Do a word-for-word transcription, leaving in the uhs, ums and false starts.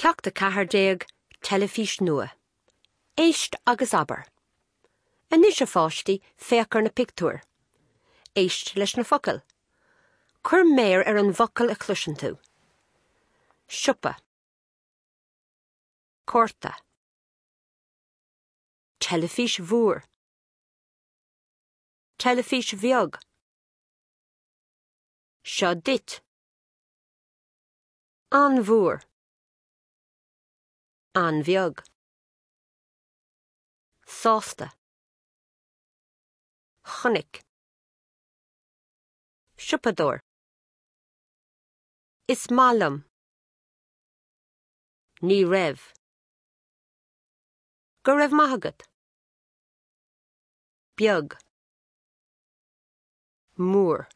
Ceacht a ceathair déag teilifís nua. Éist agus abair. Anois a pháistí féach ar na pictiúir. Éist leis na focail. Cuir méar ar an bhfocal a chloiseann tú. Siopa. Cárta. Teilifís mhór. Teilifís bheag. Seo duit. An-mhór. An-bheag. Sásta. Chonaic. Siopadóir. Is maith liom. Ní raibh. Go raibh maith agat. Beag. Mór.